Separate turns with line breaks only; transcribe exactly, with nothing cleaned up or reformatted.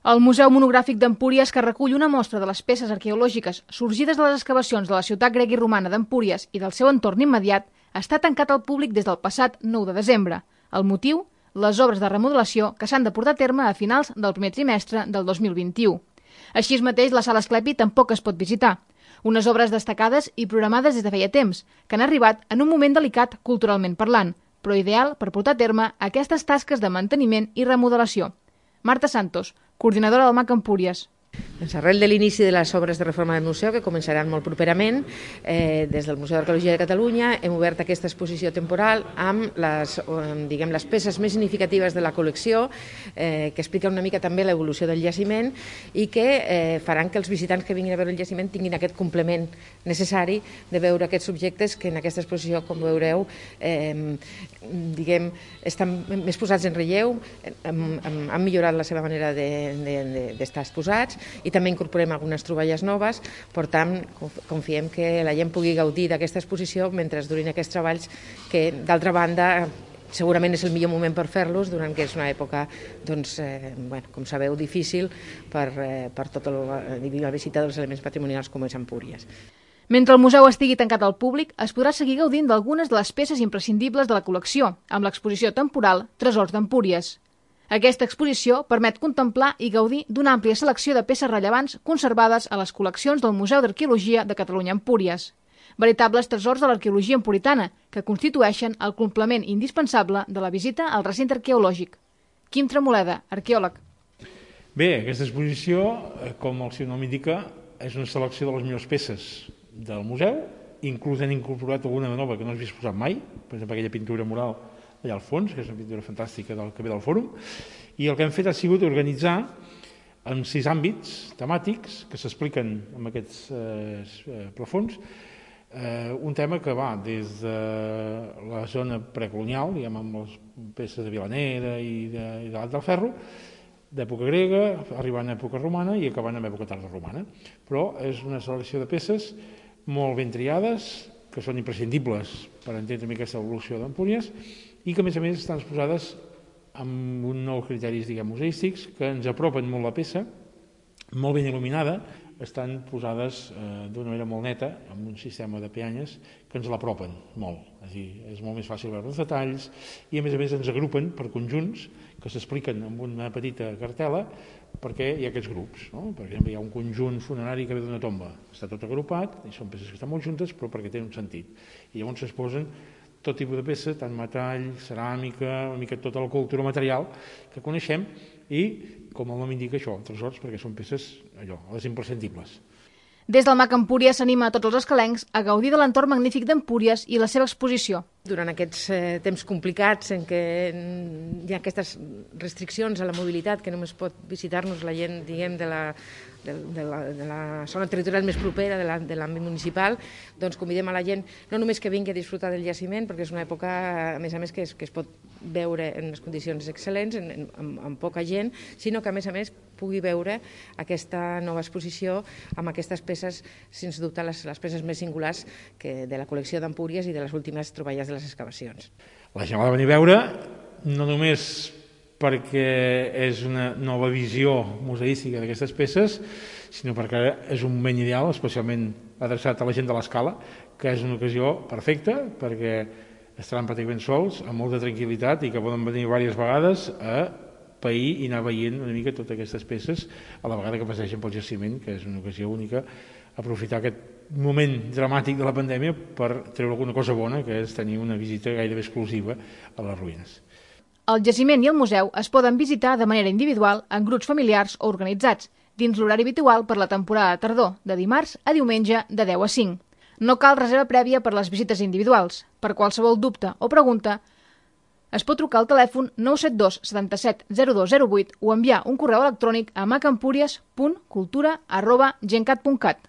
El Museu Monogràfic d'Empúries, que recull una mostra de les peces arqueològiques sorgides de les excavacions de la ciutat grega i romana d'Empúries i del seu entorn immediat, està tancat al públic des del passat nou de desembre. El motiu? Les obres de remodelació que s'han de portar a terme a finals del primer trimestre del dos mil vint-i-u. Així mateix, la sala Asclepi tampoc es pot visitar. Unes obres destacades i programades des de feia temps, que han arribat en un moment delicat culturalment parlant, però ideal per portar a terme aquestes tasques de manteniment i remodelació. Marta Santos, coordinadora del M A C Empúries.
Doncs arrel de l'inici de les obres de reforma del museu, que començaran molt properament, eh, des del Museu d'Arqueologia de Catalunya hem obert aquesta exposició temporal amb les, diguem, les peces més significatives de la col·lecció, eh, que explica una mica també l'evolució del jaciment i que eh, faran que els visitants que vinguin a veure el jaciment tinguin aquest complement necessari de veure aquests objectes que en aquesta exposició, com veureu, eh, diguem, estan més posats en relleu, han, han millorat la seva manera d'estar de, de, de exposats, i també incorporem algunes troballes noves. Per tant, confiem que la gent pugui gaudir d'aquesta exposició mentre durin aquests treballs, que d'altra banda segurament és el millor moment per fer-los, donant que és una època, doncs, eh, bueno, com sabeu, difícil per, eh, per tota la, la visita dels elements patrimonials com és Empúries.
Mentre el museu estigui tancat al públic, es podrà seguir gaudint d'algunes de les peces imprescindibles de la col·lecció, amb l'exposició temporal Tresors d'Empúries. Aquesta exposició permet contemplar i gaudir d'una àmplia selecció de peces rellevants conservades a les col·leccions del Museu d'Arqueologia de Catalunya Empúries. Veritables tresors de l'arqueologia empuritana, que constitueixen el complement indispensable de la visita al recinte arqueològic. Quim Tremoleda, arqueòleg.
Bé, aquesta exposició, com el seu nom indica, és una selecció de les millors peces del museu, inclús han incorporat alguna de nova que no s'havia exposat mai, per exemple aquella pintura mural allà al fons, que és una pintura fantàstica del que ve del fòrum, i el que hem fet ha sigut organitzar en sis àmbits temàtics que s'expliquen en aquests eh, plafons, eh, un tema que va des de la zona precolonial, diguem, amb les peces de Vilanera i de, i de l'Alt del Ferro, d'època grega, arribant a època romana i acabant amb època tardoromana. Però és una selecció de peces molt ben triades, que són imprescindibles per entendre aquesta evolució d'Empúries, i que a més a més estan exposades amb uns nous criteris, diguem, museístics que ens apropen molt la peça, molt ben il·luminada, estan posades eh, d'una manera molt neta, amb un sistema de peanyes que ens l'apropen molt. És a dir, és molt més fàcil veure els detalls i a més a més ens agrupen per conjunts que s'expliquen amb una petita cartel·la perquè hi ha aquests grups. No? Per exemple, hi ha un conjunt funerari que ve d'una tomba, està tot agrupat, i són peces que estan molt juntes però perquè tenen un sentit. I llavors s'exposen tot tipus de peça, tant metall, ceràmica, una mica tota la cultura material que coneixem i, com el nom indica, això, tresors, perquè són peces, allò, les imprescindibles.
Des del M A C Empúries s'anima a tots els escalencs a gaudir de l'entorn magnífic d'Empúries i la seva exposició.
Durant aquests eh, temps complicats en què hi ha aquestes restriccions a la mobilitat, que només pot visitar-nos la gent, diguem, de la, de, de, la, de la zona territorial més propera, de l'àmbit municipal, doncs convidem a la gent no només que vingui a disfrutar del jaciment, perquè és una època, a més a més, que es, que es pot veure en les condicions excel·lents, en, en, amb, amb poca gent, sinó que a més a més pugui veure aquesta nova exposició amb aquestes peces, sens dubte, les, les peces més singulars que de la col·lecció d'Empúries i de les últimes troballes de les excavacions.
La gent l'ha de venir a veure no només perquè és una nova visió museística d'aquestes peces, sinó perquè és un moment ideal, especialment adreçat a la gent de l'Escala, que és una ocasió perfecta perquè estaran pràcticament sols, amb molta tranquil·litat i que poden venir diverses vegades a pair i anar veient una mica totes aquestes peces a la vegada que passegen pel jaciment, que és una ocasió única, aprofitar aquest moment dramàtic de la pandèmia per treure alguna cosa bona, que és tenir una visita gairebé exclusiva a les ruïnes.
El jaciment i el museu es poden visitar de manera individual, en grups familiars o organitzats, dins l'horari habitual per la temporada de tardor, de dimarts a diumenge de deu a cinc. No cal reserva prèvia per les visites individuals. Per qualsevol dubte o pregunta, es pot trucar al telèfon nou set dos setanta-set zero dos zero vuit o enviar un correu electrònic a macempúries punt cultura arroba gencat punt cat.